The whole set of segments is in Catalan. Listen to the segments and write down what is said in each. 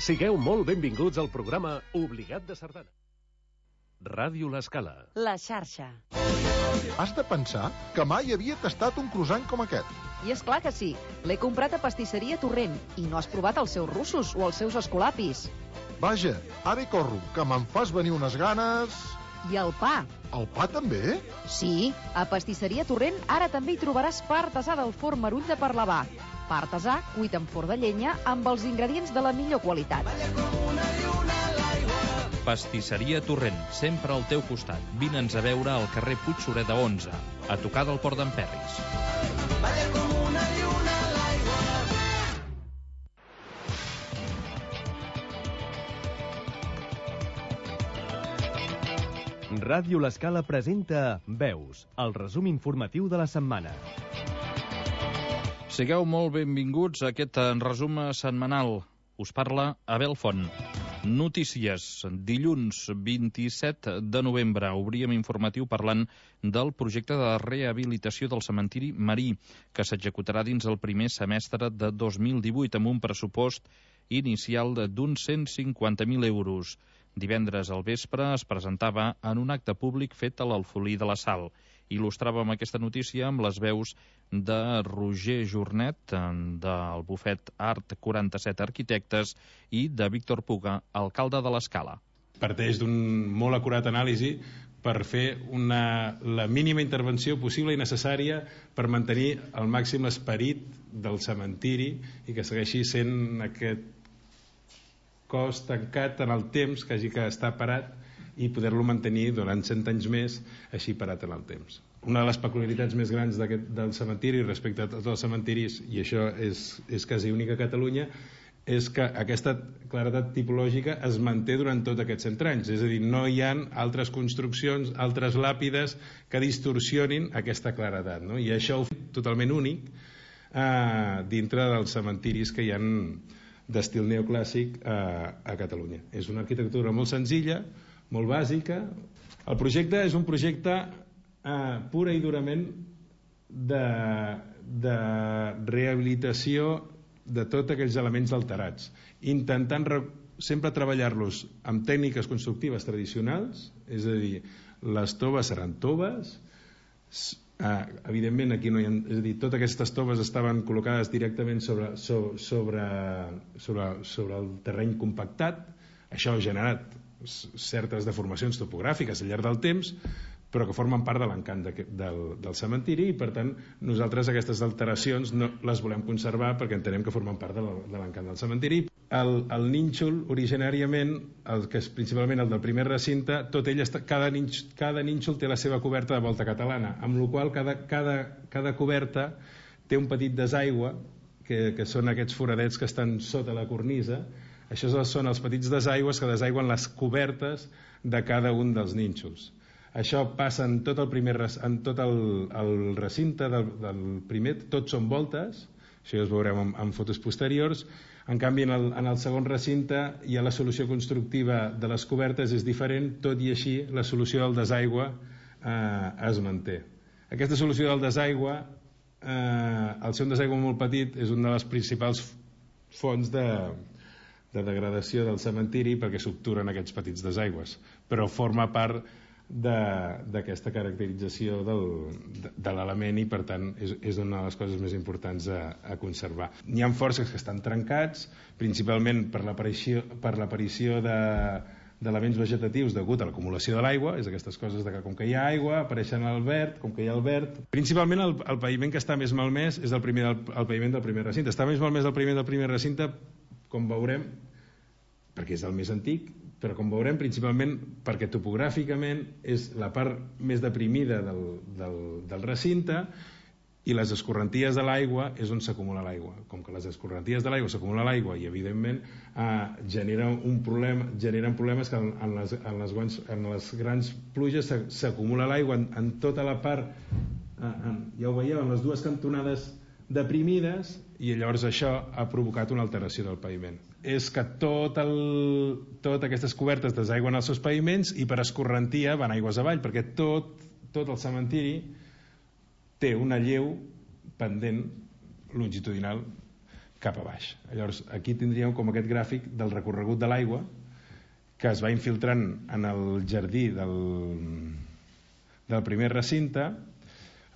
Sigueu molt benvinguts al programa Obligat de Sardana. Ràdio L'Escala. La xarxa. Has de pensar que mai havia tastat un croissant com aquest. I és clar que sí. L'he comprat a Pastisseria Torrent i no has provat els seus russos o els seus escolapis. Vaja, ara hi corro, que me'n fas venir unes ganes... I el pa. El pa també? Sí, a Pastisseria Torrent ara també hi trobaràs pa artesà del forn Marull de Parlavà. Pa artesà cuit en forn de llenya amb els ingredients de la millor qualitat. Pastisseria Torrent, sempre al teu costat. Vine'ns a veure al carrer Puigsureda 11, a tocar del Port d'en Perris. Ràdio L'Escala presenta Veus, el resum informatiu de la setmana. Sigueu molt benvinguts a aquest resum setmanal. Us parla Abel Font. Notícies. Dilluns 27 de novembre obríem informatiu parlant del projecte de rehabilitació del cementiri Marí, que s'executarà dins el primer semestre de 2018 amb un pressupost inicial d'uns 150.000 euros. Divendres al vespre es presentava en un acte públic fet a l'Alfolí de la Sal. Il·lustràvem aquesta notícia amb les veus de Roger Jornet, del bufet Art 47 Arquitectes, i de Víctor Puga, alcalde de l'Escala. Parteix d'un molt acurat anàlisi per fer la mínima intervenció possible i necessària per mantenir al màxim l'esperit del cementiri i que segueixi sent aquest cos tancat en el temps, que hagi que estar parat i poder-lo mantenir durant 100 anys més així parat en el temps. Una de les peculiaritats més grans del cementiri respecte a tots els cementiris, i això és quasi únic a Catalunya, és que aquesta claredat tipològica es manté durant tots aquests 100 anys, és a dir, no hi ha altres construccions, altres làpides que distorsionin aquesta claredat, no? I això ho fa totalment únic dintre dels cementiris que hi ha d'estil neoclàssic a Catalunya. És una arquitectura molt senzilla, molt bàsica. El projecte és un projecte pura i durament de rehabilitació de tots aquells elements alterats, intentant sempre treballar-los amb tècniques constructives tradicionals, és a dir, les toves seran toves, evidentment aquí no hi ha, és a dir, totes aquestes toves estaven col·locades directament sobre el terreny compactat. Això ha generat certes deformacions topogràfiques al llarg del temps, però que formen part de l'encant del cementiri, i per tant nosaltres aquestes alteracions no les volem conservar perquè entenem que formen part de l'encant del cementiri. El nínxol, originàriament, que és principalment el del primer recinte, tot ell cada nínxol té la seva coberta de volta catalana, amb la qual cada coberta té un petit desaigua, que són aquests foradets que estan sota la cornisa. Això són els petits desaigües que desaigüen les cobertes de cada un dels nínxols. Això passa en tot el recinte del primer, tots són voltes, això ja es veurem en fotos posteriors. En canvi, en el segon recinte ja la solució constructiva de les cobertes és diferent, tot i així la solució del desaigua es manté. Aquesta solució del desaigua, al ser un desaigua molt petit, és una de les principals fonts de degradació del cementiri perquè s'obturen aquests petits desaigües, però forma part d'aquesta caracterització de l'element i per tant és una de les coses més importants a conservar. N'hi ha forces que estan trencats, principalment per l'aparició d'elements vegetatius degut a l'acumulació de l'aigua, és aquestes coses que com que hi ha aigua apareixen al verd, com que hi ha el verd. Principalment el paviment que està més malmès és el paviment del primer recinte. Està més malmès el paviment del primer recinte, com veurem, perquè és el més antic, però com veurem principalment perquè topogràficament és la part més deprimida del recinte i les escorrenties de l'aigua és on s'acumula l'aigua. Com que les escorrenties de l'aigua s'acumula l'aigua i evidentment generen problemes que en les grans pluges s'acumula l'aigua en tota la part, ja ho veieu, en les dues cantonades deprimides, i llavors això ha provocat una alteració del paviment. És que totes aquestes cobertes desaigüen els seus paviments i per escorrentia van aigües avall, perquè tot el cementiri té una lleu pendent longitudinal cap a baix. Llavors, aquí tindríem com aquest gràfic del recorregut de l'aigua que es va infiltrant en el jardí del primer recinte.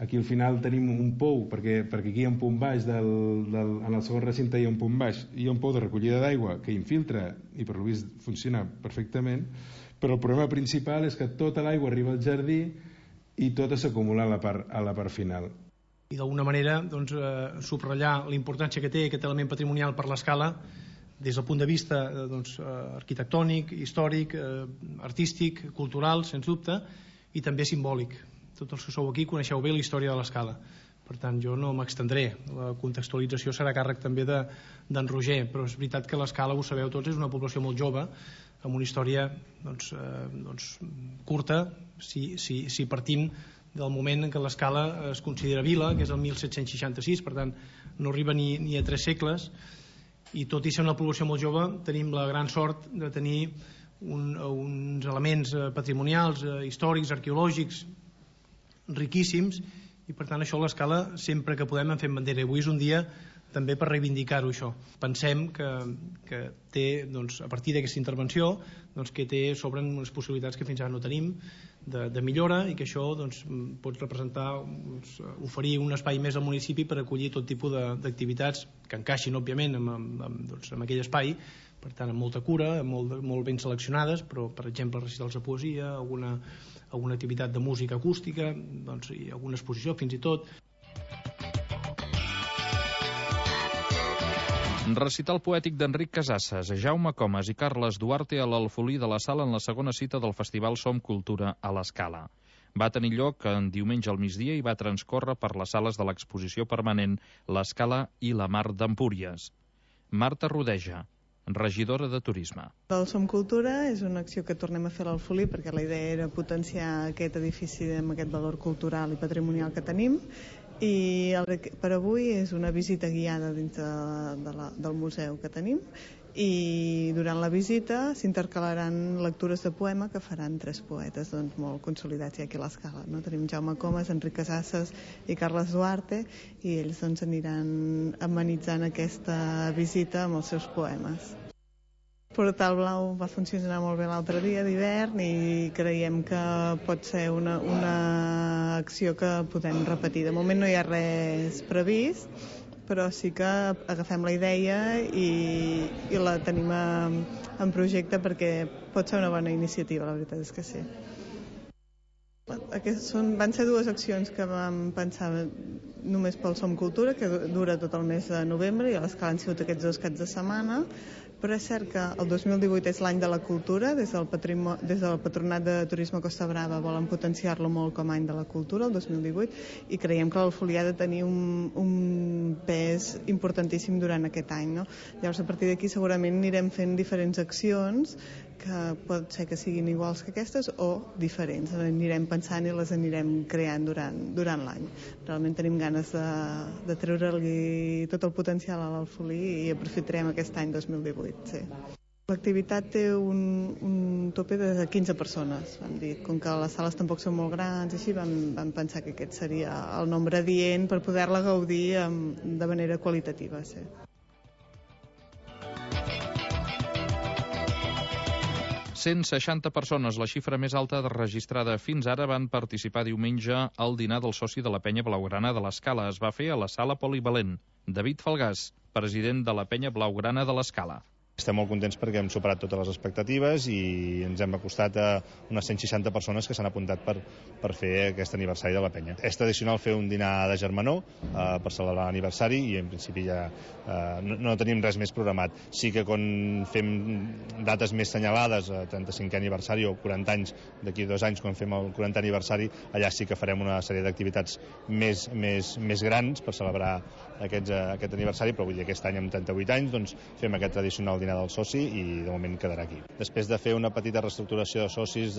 Aquí al final tenim un pou, perquè aquí hi ha un punt baix, en el segon recinte hi ha un punt baix, hi ha un pou de recollida d'aigua que infiltra i per lo vist funciona perfectament, però el problema principal és que tota l'aigua arriba al jardí i tota s'acumula a la part final. I d'alguna manera subratllar la importància que té aquest element patrimonial per l'escala des del punt de vista arquitectònic, històric, artístic, cultural, sens dubte, i també simbòlic. Tots els que sou aquí coneixeu bé la història de l'escala. Per tant, jo no m'extendré. La contextualització serà càrrec també d'en Roger, però és veritat que l'escala, ho sabeu tots, és una població molt jove, amb una història curta, si partim del moment en què l'escala es considera vila, que és el 1766, per tant, no arriba ni a 3 segles, i tot i ser una població molt jove, tenim la gran sort de tenir uns elements patrimonials, històrics, arqueològics, riquíssims, i per tant això a l'escala sempre que podem en fem bandera. Avui és un dia també per reivindicar-ho, això. Pensem que té, a partir d'aquesta intervenció, que s'obren unes possibilitats que fins ara no tenim de millora, i que això pot representar, oferir un espai més al municipi per acollir tot tipus d'activitats que encaixin, òbviament, en aquell espai, per tant, amb molta cura, molt ben seleccionades, però, per exemple, recitals de poesia, alguna activitat de música acústica, i alguna exposició, fins i tot. Recital poètic d'Enric Casasses, Jaume Comas i Carles Duarte a l'Alfolí de la Sala en la segona cita del Festival Som Cultura a l'Escala. Va tenir lloc en diumenge al migdia i va transcórrer per les sales de l'exposició permanent L'Escala i la Mar d'Empúries. Marta Rodeja, regidora de Turisme. El Som Cultura és una acció que tornem a fer a l'Alfolí perquè la idea era potenciar aquest edifici amb aquest valor cultural i patrimonial que tenim, i per avui és una visita guiada dins del museu que tenim, i durant la visita s'intercalaran lectures de poema que faran 3 poetes molt consolidats aquí a l'Escala. Tenim Jaume Comas, Enric Casasses i Carles Duarte, i ells aniran amenitzant aquesta visita amb els seus poemes. Portal Blau va funcionar molt bé l'altre dia d'hivern i creiem que pot ser una acció que podem repetir. De moment no hi ha res previst, però sí que agafem la idea i la tenim en projecte perquè pot ser una bona iniciativa, la veritat és que sí. Van ser 2 accions que vam pensar només pel Som Cultura, que dura tot el mes de novembre, i a l'Escala han sigut aquests 2 caps de setmana, però és cert que el 2018 és l'any de la cultura. Des del Patronat de Turisme Costa Brava volen potenciar-lo molt com a any de la cultura, el 2018, i creiem que l'Alfolí ha de tenir un pes importantíssim durant aquest any. Llavors, a partir d'aquí segurament anirem fent diferents accions que pot ser que siguin iguals que aquestes o diferents. Anirem pensant i les anirem creant durant l'any. Realment tenim ganes de treure-li tot el potencial a l'Alfolí i aprofitarem aquest any 2018. Sí. L'activitat té un tope de 15 persones. Vam dir, com que les sales tampoc són molt grans, així vam pensar que aquest seria el nombre adient per poder-la gaudir de manera qualitativa. Sí. Cent 160 persones, la xifra més alta registrada fins ara, van participar diumenge al dinar del soci de la penya blaugrana de l'Escala. Es va fer a la sala polivalent. David Falgàs, president de la penya blaugrana de l'Escala. Estem molt contents perquè hem superat totes les expectatives i ens hem acostat a unes 160 persones que s'han apuntat per fer aquest aniversari de la penya. És tradicional fer un dinar de germanor per celebrar l'aniversari i en principi ja no tenim res més programat. Sí que quan fem dates més senyalades, 35è aniversari o 40 anys, d'aquí 2 anys quan fem el 40è aniversari, allà sí que farem una sèrie d'activitats més grans per celebrar aquest aniversari, però vull dir, aquest any amb 38 anys doncs fem aquest tradicional dinar del soci i de moment quedarà aquí. Després de fer una petita reestructuració de socis,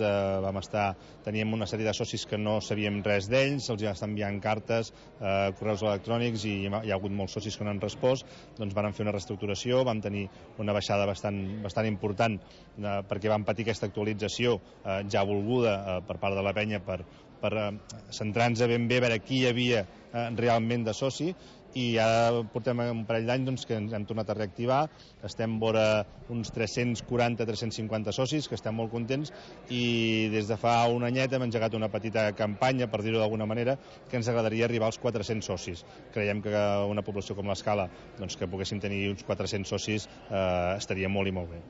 teníem una sèrie de socis que no sabíem res d'ells, els ja estan enviant cartes, correus electrònics, i hi ha hagut molts socis que no han respost, doncs vam fer una reestructuració, vam tenir una baixada bastant important perquè vam patir aquesta actualització ja volguda per part de la penya per centrar-nos ben bé a veure qui hi havia realment de soci, i ara portem un parell d'any doncs, que ens hem tornat a reactivar, estem vora uns 340-350 socis, que estem molt contents, i des de fa un anyet hem engegat una petita campanya, per dir-ho d'alguna manera, que ens agradaria arribar als 400 socis. Creiem que una població com l'Escala, doncs, que poguéssim tenir uns 400 socis, estaria molt i molt bé.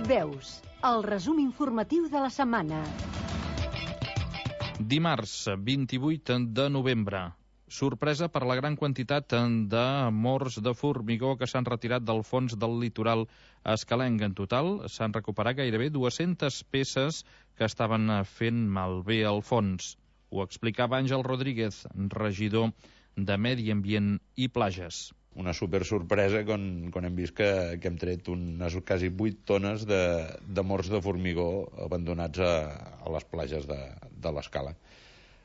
Veus, el resum informatiu de la setmana. Dimarts, 28 de novembre. Sorpresa per la gran quantitat de morts de formigó que s'han retirat del fons del litoral escalenc. En total, s'han recuperat gairebé 200 peces que estaven fent malbé al fons. Ho explicava Àngel Rodríguez, regidor de Medi Ambient i Plages. Una super sorpresa quan hem vist que hem tret unes quasi 8 tones de morts de formigó abandonats a les platges de l'Escala.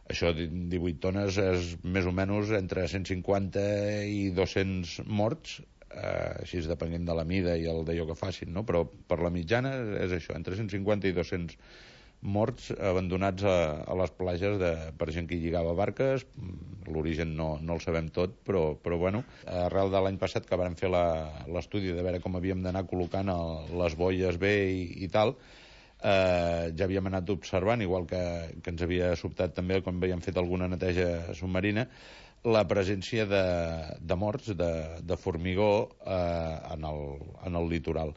Això, 18 tones, és més o menys entre 150 i 200 morts, així depenent de la mida i el d'allò que facin, no? Però per la mitjana és això, entre 150 i 200 morts abandonats a les platges per gent que hi lligava barques. L'origen no el sabem tot, però bueno, arrel de l'any passat que vam fer l'estudi de veure com havíem d'anar col·locant les boies bé i tal, ja havíem anat observant, igual que ens havia sobtat també quan havíem fet alguna neteja submarina, la presència de morts de formigó en el litoral.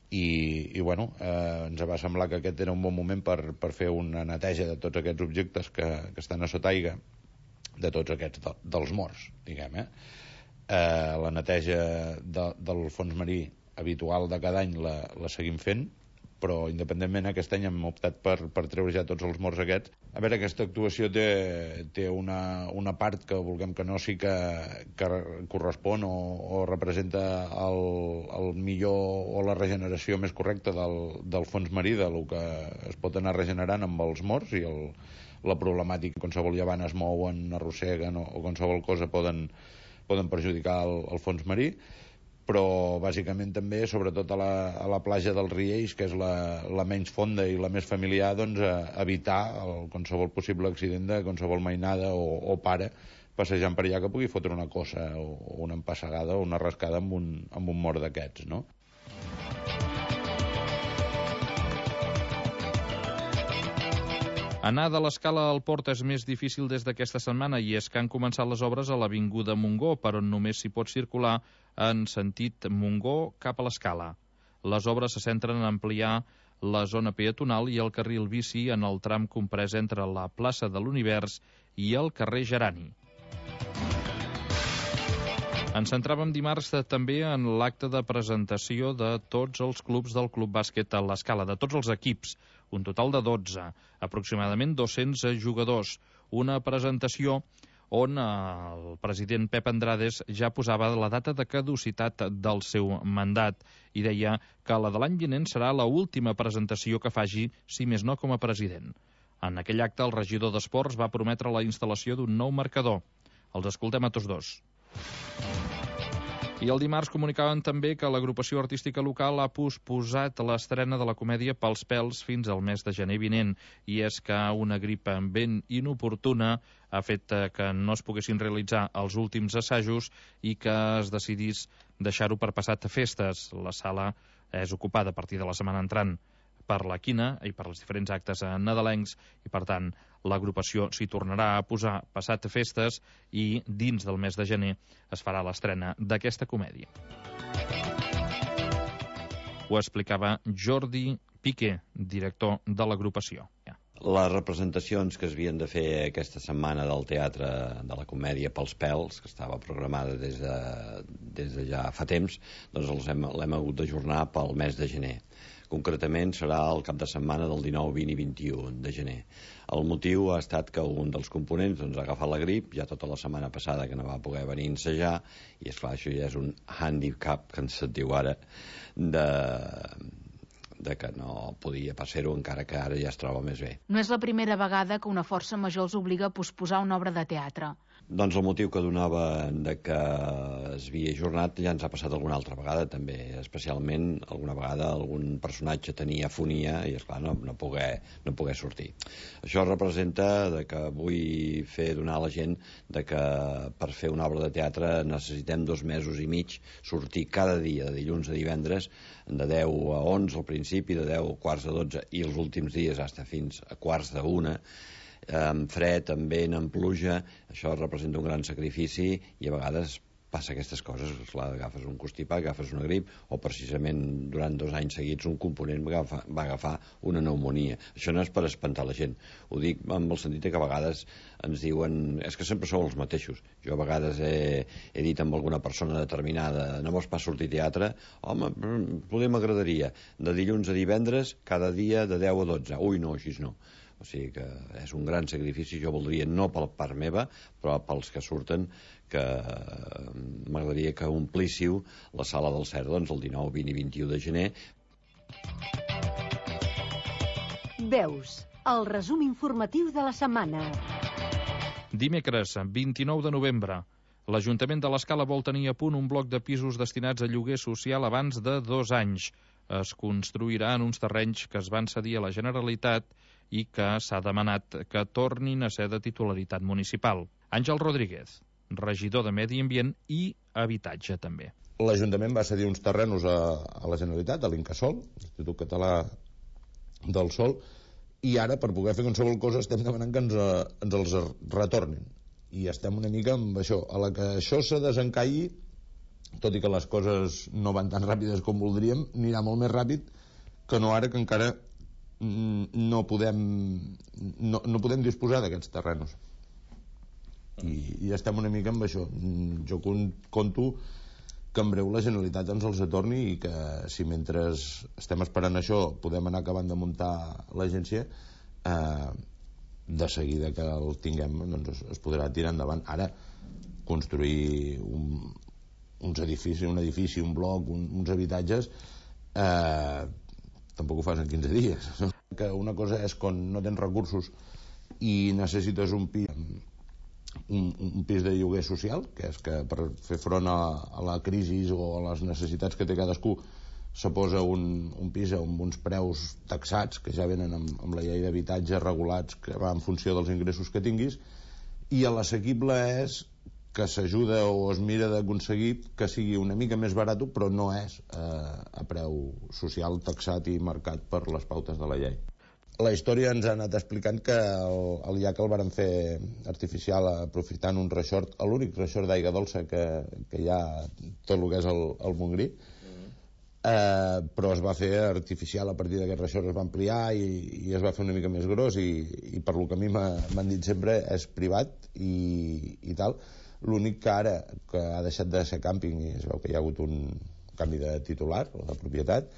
I bueno, ens va semblar que aquest era un bon moment per fer una neteja de tots aquests objectes que estan a sota aigua, de tots aquests, dels morts, diguem. La neteja del fons marí habitual de cada any la seguim fent, però independentment aquest any hem optat per treure ja tots els morts aquests. A veure, aquesta actuació té una part que vulguem que no sí que correspon o representa el millor o la regeneració més correcta del fons marí, del que es pot anar regenerant amb els morts, i la problemàtica, qualsevol llevant es mouen, arrosseguen o qualsevol cosa poden perjudicar el fons marí. Però bàsicament també, sobretot a la platja dels Riells, que és la menys fonda i la més familiar, doncs evitar qualsevol possible accident de qualsevol mainada o pare passejant per allà que pugui fotre una cosa o una empassegada o una rascada amb un mort d'aquests, no? Anar de l'Escala al port és més difícil des d'aquesta setmana, i és que han començat les obres a l'Avinguda Montgó, per on només s'hi pot circular en sentit Montgó cap a l'Escala. Les obres se centren en ampliar la zona peatonal i el carril bici en el tram comprès entre la plaça de l'Univers i el carrer Gerani. Ens centràvem dimarts també en l'acte de presentació de tots els clubs del Club Bàsquet a l'Escala, de tots els equips, un total de 12, aproximadament 200 jugadors. Una presentació on el president Pep Andrades ja posava la data de caducitat del seu mandat i deia que la de l'any vinent serà l'última presentació que faci, si més no com a president. En aquell acte, el regidor d'Esports va prometre la instal·lació d'un nou marcador. Els escoltem a tots dos. I el dimarts comunicaven també que l'agrupació artística local ha posposat l'estrena de la comèdia Pels pèls fins al mes de gener vinent, i és que una grip ben inoportuna ha fet que no es poguessin realitzar els últims assajos i que es decidís deixar-ho per passat festes. La sala és ocupada a partir de la setmana entrant per la quina i per els diferents actes nadalencs, i per tant l'agrupació s'hi tornarà a posar passat festes, i dins del mes de gener es farà l'estrena d'aquesta comèdia. Ho explicava Jordi Piqué, director de l'agrupació. Les representacions que es havien de fer aquesta setmana del Teatre de la Comèdia Pels pèls, que estava programada des de ja fa temps, doncs l'hem hagut d'ajornar pel mes de gener. Concretament serà el cap de setmana del 19, 20 i 21 de gener. El motiu ha estat que un dels components ha agafat la grip ja tota la setmana passada, que no va poder venir a ensejar, i esclar, això ja és un handicap, que ens diu ara, de que no podia passar-ho, encara que ara ja es troba més bé. No és la primera vegada que una força major els obliga a posposar una obra de teatre. Doncs el motiu que donava de que es havia ajornat ja ens ha passat alguna altra vegada també, especialment alguna vegada algun personatge tenia afonia i esclar no poder sortir. Això representa de que vull donar a la gent de que per fer una obra de teatre necessitem 2 mesos i mig sortir cada dia, de dilluns a divendres, de 10 a 11 al principi, de 10 a quarts de 12 i els últims dies fins a quarts de 1, amb fred, amb vent, amb pluja. Això representa un gran sacrifici i a vegades passa aquestes coses. Clar, agafes un constipat, agafes una grip o precisament durant 2 anys seguits un component va agafar una pneumonia. Això no és per espantar la gent, ho dic amb el sentit que a vegades ens diuen és que sempre sou els mateixos. Jo a vegades he dit amb alguna persona determinada no vols pas sortir a teatre? Home, poder m'agradaria de dilluns a divendres cada dia de 10 a 12. Ui, no, així no. O sigui que és un gran sacrifici. Jo voldria, no per part meva, però pels que surten, que m'agradaria que omplíssiu la sala del CERD el 19, 20 i 21 de gener. Veus, el resum informatiu de la setmana. Dimecres, 29 de novembre. L'Ajuntament de l'Escala vol tenir a punt un bloc de pisos destinats a lloguer social abans de 2 anys. Es construirà en uns terrenys que es van cedir a la Generalitat i que s'ha demanat que tornin a ser de titularitat municipal. Àngel Rodríguez, regidor de Medi Ambient i Habitatge també. L'Ajuntament va cedir uns terrenos a la Generalitat, a l'Incasòl, l'Institut Català del Sòl, i ara, per poder fer qualsevol cosa, estem demanant que ens els retornin. I estem una mica amb això. A la que això se desencalli, tot i que les coses no van tan ràpides com voldríem, anirà molt més ràpid que no ara, que encara no podem disposar d'aquests terrenos. I estem una mica amb això. Jo conto que en breu la Generalitat ens els atorni i que si mentre estem esperant això podem anar acabant de muntar l'agència, de seguida que el tinguem doncs es podrà tirar endavant. Ara construir un edifici, un bloc, uns habitatges, tampoc ho fas en 15 dies. Que una cosa és quan no tens recursos i necessites un pis de lloguer social, que és que per fer front a la crisi o a les necessitats que té cadascú se posa un pis amb uns preus taxats que ja venen amb la llei d'habitatge regulats, que va en funció dels ingressos que tinguis, i l'assequible és que s'ajuda o es mira d'aconseguir que sigui una mica més barat, però no és a preu social taxat i marcat per les pautes de la llei. La història ens ha anat explicant que el llac el varen fer artificial aprofitant un reixort, l'únic reixort d'aigua dolça que hi ha tot el que és el Montgrí, però es va fer artificial. A partir d'aquest reixort es va ampliar i es va fer una mica més gros i per lo que a mi m'han dit sempre és privat i tal. L'únic que ara que ha deixat de ser càmping i es veu que hi ha hagut un canvi de titular o de propietat,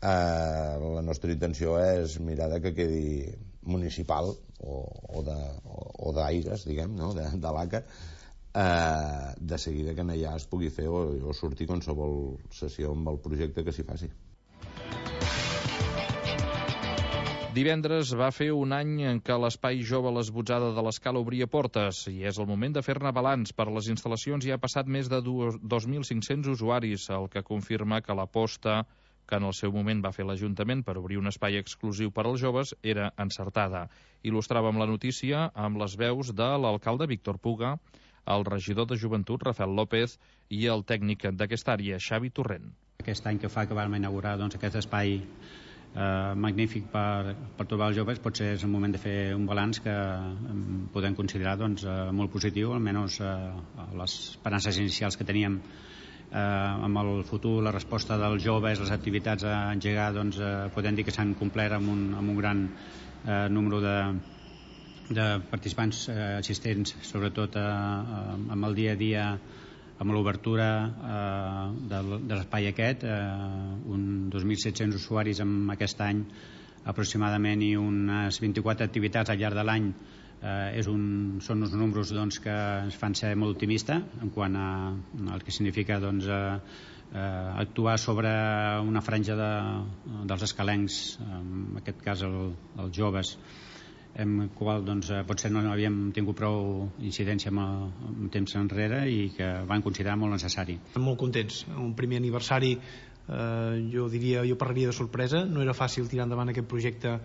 la nostra intenció és mirar que quedi municipal o d'aires, diguem, no? de l'ACA, de seguida que allà es pugui fer o sortir qualsevol sessió amb el projecte que s'hi faci. Divendres va fer un any en què l'Espai Jove a l'Esbotzada de l'Escala obria portes i és el moment de fer-ne balanç. Per les instal·lacions hi ha passat més de 2.500 usuaris, el que confirma que l'aposta que en el seu moment va fer l'Ajuntament per obrir un espai exclusiu per als joves era encertada. Il·lustràvem la notícia amb les veus de l'alcalde Víctor Puga, el regidor de Joventut Rafael López i el tècnic d'aquesta àrea, Xavi Torrent. Aquest any que fa que vam inaugurar aquest espai magnífic per trobar els joves, potser és el moment de fer un balanç que podem considerar molt positiu, almenys les esperances inicials que teníem amb el futur, la resposta dels joves, les activitats a engegar, podem dir que s'han complert amb un gran número de participants assistents, sobretot amb el dia a dia, amb l'obertura de l'espai aquest, 2.700 usuaris en aquest any aproximadament i unes 24 activitats al llarg de l'any. Són uns números que ens fan ser molt optimistes en quant al que significa actuar sobre una franja dels escalencs, en aquest cas els joves, amb qual potser no havíem tingut prou incidència amb temps enrere i que van considerar molt necessari. Molt contents. Un primer aniversari, jo parlaria de sorpresa. No era fàcil tirar endavant aquest projecte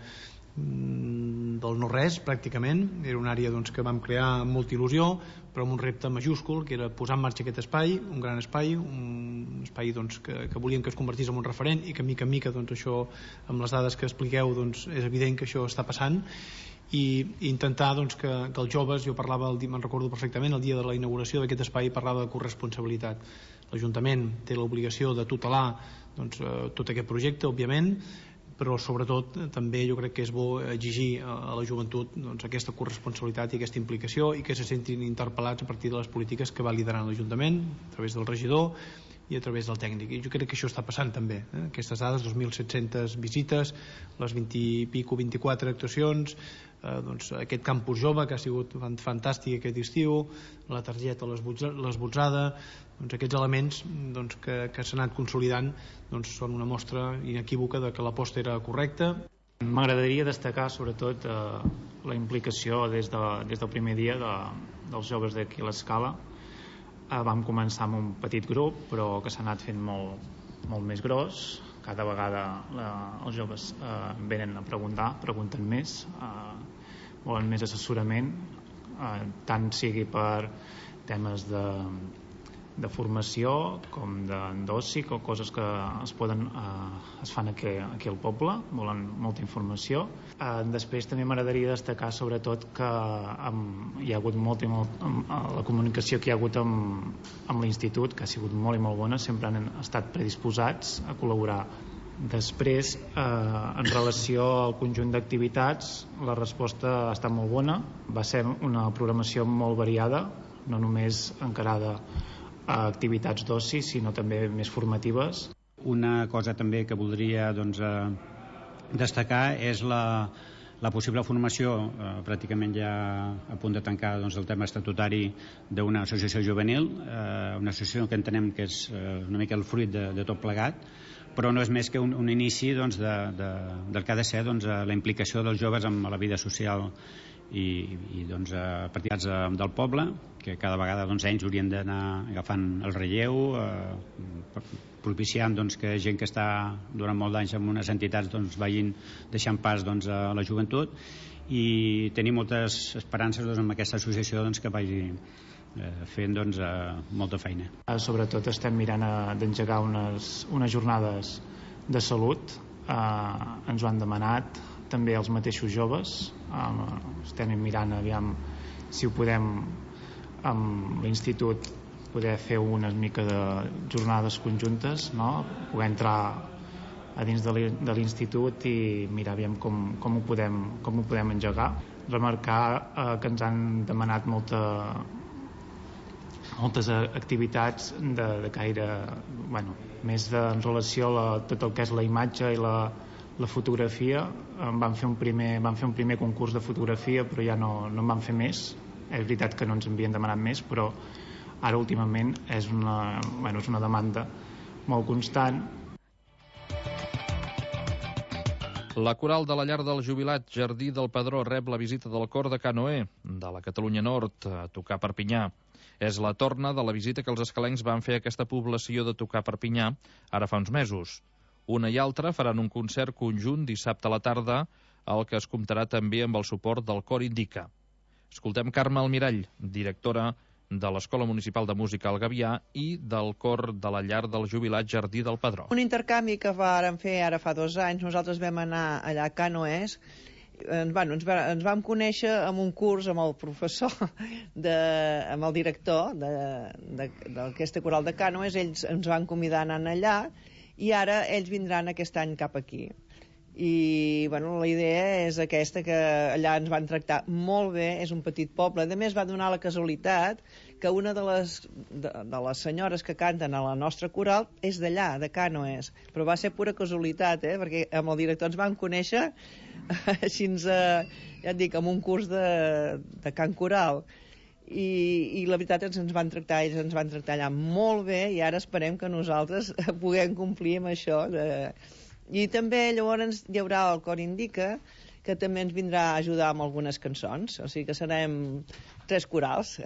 del no-res, pràcticament. Era una àrea que vam crear amb molta il·lusió, però amb un repte majúscul, que era posar en marxa aquest espai, un gran espai, un espai que volíem que es convertís en un referent i que mica en mica això, amb les dades que expliqueu, és evident que això està passant. I intentar que els joves, jo parlava, me'n recordo perfectament, el dia de la inauguració d'aquest espai parlava de corresponsabilitat. L'Ajuntament té l'obligació de tutelar tot aquest projecte, òbviament, però sobretot també jo crec que és bo exigir a la joventut aquesta corresponsabilitat i aquesta implicació i que se sentin interpel·lats a partir de les polítiques que va liderant l'Ajuntament a través del regidor i a través del tècnic. I jo crec que això està passant també. Aquestes dades, 2.700 visites, les 24 actuacions, aquest campus jove que ha sigut fantàstic aquest estiu, la targeta l'esbotzada, aquests elements que s'han anat consolidant són una mostra inequívoca de que l'aposta era correcta. M'agradaria destacar sobretot la implicació des del primer dia dels joves d'aquí a l'Escala. Vam començar amb un petit grup però que s'ha anat fent molt més gros. Cada vegada els joves venen a pregunten més, volen més assessorament, tant sigui per temes de formació com d'oci, coses que es fan aquí al poble, volen molta informació. Després també m'agradaria destacar sobretot que hi ha hagut la comunicació que hi ha hagut amb l'institut, que ha sigut molt i molt bona, sempre han estat predisposats a col·laborar. Després, en relació al conjunt d'activitats, la resposta ha estat molt bona. Va ser una programació molt variada, no només encarada a activitats d'oci, sinó també més formatives. Una cosa també que voldria destacar és la possible formació, pràcticament ja a punt de tancar el tema estatutari d'una associació juvenil, una associació que entenem que és una mica el fruit de tot plegat, però no és més que un inici del que ha de ser la implicació dels joves en la vida social i partidats del poble, que cada vegada ells haurien d'anar agafant el relleu, propiciant que gent que està durant molt d'anys en unes entitats vagin deixant pas a la joventut, i tenir moltes esperances amb aquesta associació que vagi fent molta feina. Sobretot estem mirant d'engegar unes jornades de salut, ens ho han demanat també els mateixos joves. Estem mirant aviam si ho podem amb l'institut poder fer una mica de jornades conjuntes, no? Poder entrar a dins de l'institut i mirar aviam com ho podem engegar. Remarcar que ens han demanat moltes activitats de caire, més en relació a tot el que és la imatge i la fotografia. Vam fer un primer concurs de fotografia, però ja no en vam fer més. És veritat que no ens havien demanat més, però ara últimament és una demanda molt constant. La coral de la llar del jubilat Jardí del Pedró rep la visita del cor de Canoè, de la Catalunya Nord, a tocar Perpinyà. És la torna de la visita que els escalencs van fer a aquesta població de tocar Perpinyà ara fa uns mesos. Una i altra faran un concert conjunt dissabte a la tarda, al que es comptarà també amb el suport del Cor Indica. Escoltem Carme Almirall, directora de l'Escola Municipal de Música al Gavià i del Cor de la Llar del Jubilat Jardí del Pedró. Un intercanvi que vàrem fer ara fa 2 anys, nosaltres vam anar allà a Canoès. Ens vam conèixer amb un curs amb el professor, amb el director d'aquesta coral de Canoès. Ells ens van convidar a anar allà i ara ells vindran aquest any cap aquí. I la idea és aquesta, que allà ens van tractar molt bé, és un petit poble. A més, va donar la casualitat que una de les senyores que canten a la nostra coral és d'allà, de Canoès, però va ser pura casualitat, perquè amb el director ens vam conèixer així, ja et dic, amb un curs de cant coral. I la veritat és que ells ens van tractar allà molt bé, i ara esperem que nosaltres puguem complir amb això. I també llavors hi haurà el Cor Indica, que també ens vindrà a ajudar amb algunes cançons, o sigui que serem 3 corals.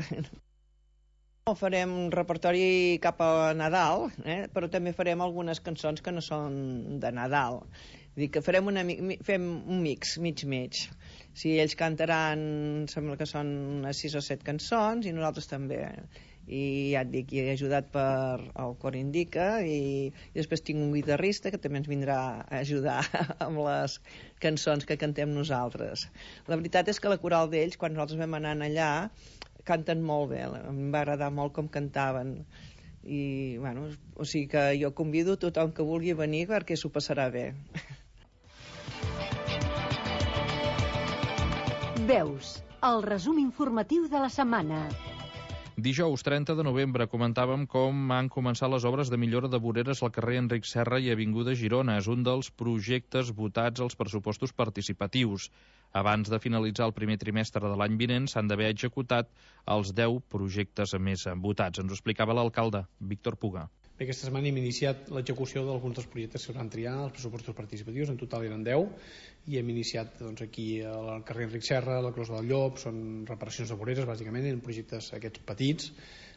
Farem un repertori cap a Nadal, però també farem algunes cançons que no són de Nadal. Vull dir que fem un mix, mig. Si ells cantaran, sembla que són unes 6 o 7 cançons, i nosaltres també. I ja et dic, he ajudat per el Cor Indica, i després tinc un guitarrista que també ens vindrà a ajudar amb les cançons que cantem nosaltres. La veritat és que la coral d'ells, quan nosaltres vam anar allà, canten molt bé, em va agradar molt com cantaven, i bueno, o sigui que jo convido tothom que vulgui venir perquè s'ho passarà bé. Veus, el resum informatiu de la setmana. Dijous 30 de novembre comentàvem com han començat les obres de millora de voreres al carrer Enric Serra i Avinguda Girona. És un dels projectes votats als pressupostos participatius. Abans de finalitzar el primer trimestre de l'any vinent s'han d'haver executat els 10 projectes més votats. Ens ho explicava l'alcalde, Víctor Puga. Aquesta setmana hem iniciat l'execució d'alguns dels projectes que es van triar als pressupostos participatius, en total eren 10, i hem iniciat aquí al carrer Enric Serra, la Closa del Llop, són reparacions de voreres, bàsicament, eren projectes aquests petits,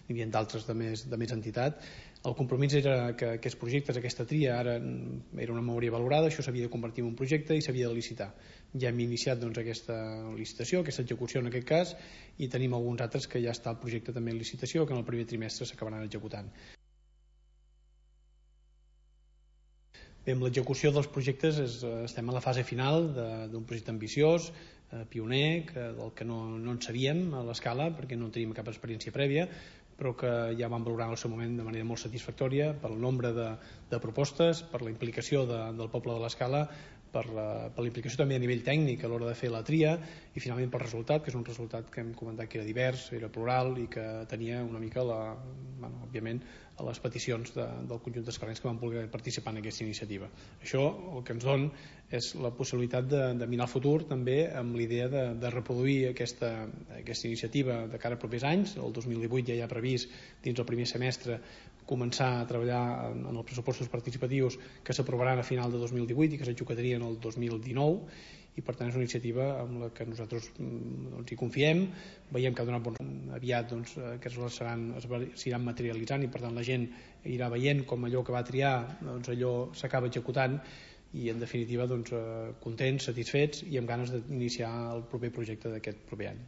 n'hi havia d'altres de més entitat. El compromís era que aquests projectes, aquesta tria, ara era una memòria valorada, això s'havia de convertir en un projecte i s'havia de licitar. Ja hem iniciat aquesta licitació, aquesta execució en aquest cas, i tenim alguns altres que ja està el projecte també en licitació, que en el primer trimestre s'acabaran executant. Bé, amb l'execució dels projectes estem a la fase final d'un projecte ambiciós, pioner, del que no en sabíem a l'escala, perquè no teníem cap experiència prèvia, però que ja vam valorar en el seu moment de manera molt satisfactòria pel nombre de propostes, per la implicació del poble de l'Escala, per la implicació també a nivell tècnic a l'hora de fer la tria, i finalment pel resultat, que és un resultat que hem comentat que era divers, era plural i que tenia una mica, òbviament, a les peticions del conjunt d'escalencs que van voler participar en aquesta iniciativa. Això el que ens dona és la possibilitat de mirar el futur també amb l'idea de reproduir aquesta iniciativa de cara a propers anys. El 2018 ja hi ha previst dins el primer semestre començar a treballar en els pressupostos participatius que s'aprovaran a final de 2018 i que s'executarien el 2019, i per tant és una iniciativa amb la que nosaltres hi confiem, veiem que ha donat aviat aquests s'iran materialitzant, i per tant la gent irà veient com allò que va triar allò s'acaba executant, i en definitiva contents, satisfets i amb ganes d'iniciar el proper projecte d'aquest proper any.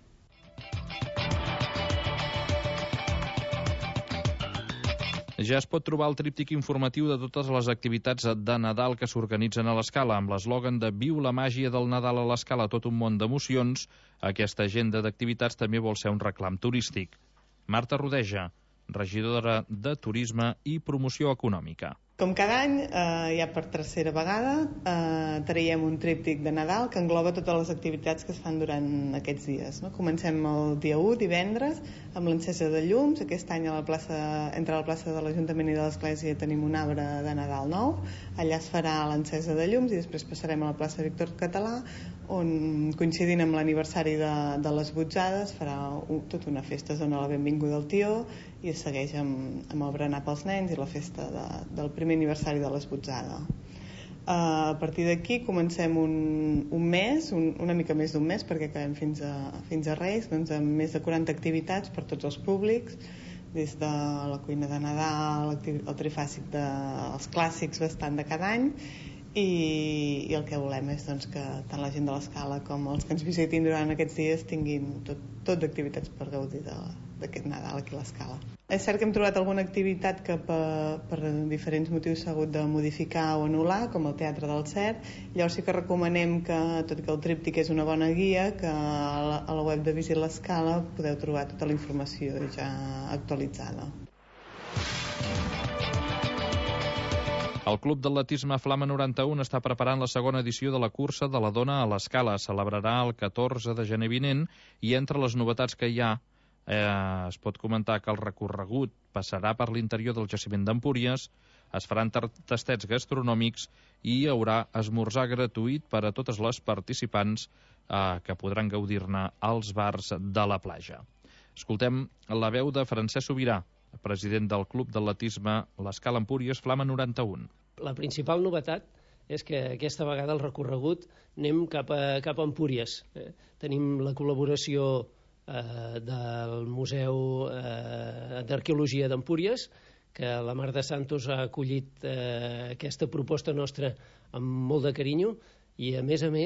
Ja es pot trobar el tríptic informatiu de totes les activitats de Nadal que s'organitzen a l'Escala. Amb l'eslògan de Viu la màgia del Nadal a l'Escala, tot un món d'emocions, aquesta agenda d'activitats també vol ser un reclam turístic. Marta Rodeja, regidora de Turisme i Promoció Econòmica. Com cada any, ja per tercera vegada, traiem un tríptic de Nadal que engloba totes les activitats que es fan durant aquests dies. Comencem el dia 1, divendres, amb l'encesa de llums. Aquest any entre la plaça de l'Ajuntament i de l'Església tenim un arbre de Nadal nou. Allà es farà l'encesa de llums i després passarem a la plaça Víctor Català, on, coincidint amb l'aniversari de les Botzades, farà tota una festa, es dona la benvinguda al tió i es segueix amb el berenar pels nens i la festa del primer aniversari de les Botzades. A partir d'aquí comencem un mes, una mica més d'un mes, perquè acabem fins a Reis, amb més de 40 activitats per tots els públics, des de la cuina de Nadal, el trifàsic dels clàssics bastant de cada any, i el que volem és que tant la gent de l'Escala com els que ens visitin durant aquests dies tinguin tot d'activitats per gaudir d'aquest Nadal aquí a l'Escala. És cert que hem trobat alguna activitat que per diferents motius s'ha hagut de modificar o anul·lar, com el Teatre del Cert. Llavors sí que recomanem que, tot i que el tríptic és una bona guia, que a la web de Visit l'Escala podeu trobar tota la informació ja actualitzada. El Club d'Atletisme Flama 91 està preparant la segona edició de la cursa de la dona a l'Escala. Celebrarà el 14 de gener vinent, i entre les novetats que hi ha es pot comentar que el recorregut passarà per l'interior del jaciment d'Empúries, es faran tastets gastronòmics i hi haurà esmorzar gratuït per a totes les participants que podran gaudir-ne als bars de la platja. Escoltem la veu de Francesc Sobirà, president del Club d'Atletisme l'Escala Empúries Flama 91. La principal novetat és que aquesta vegada el recorregut anem cap a Empúries. Tenim la col·laboració del Museu d'Arqueologia d'Empúries, que la Mar de Santos ha acollit aquesta proposta nostra amb molt de carinyo, i a més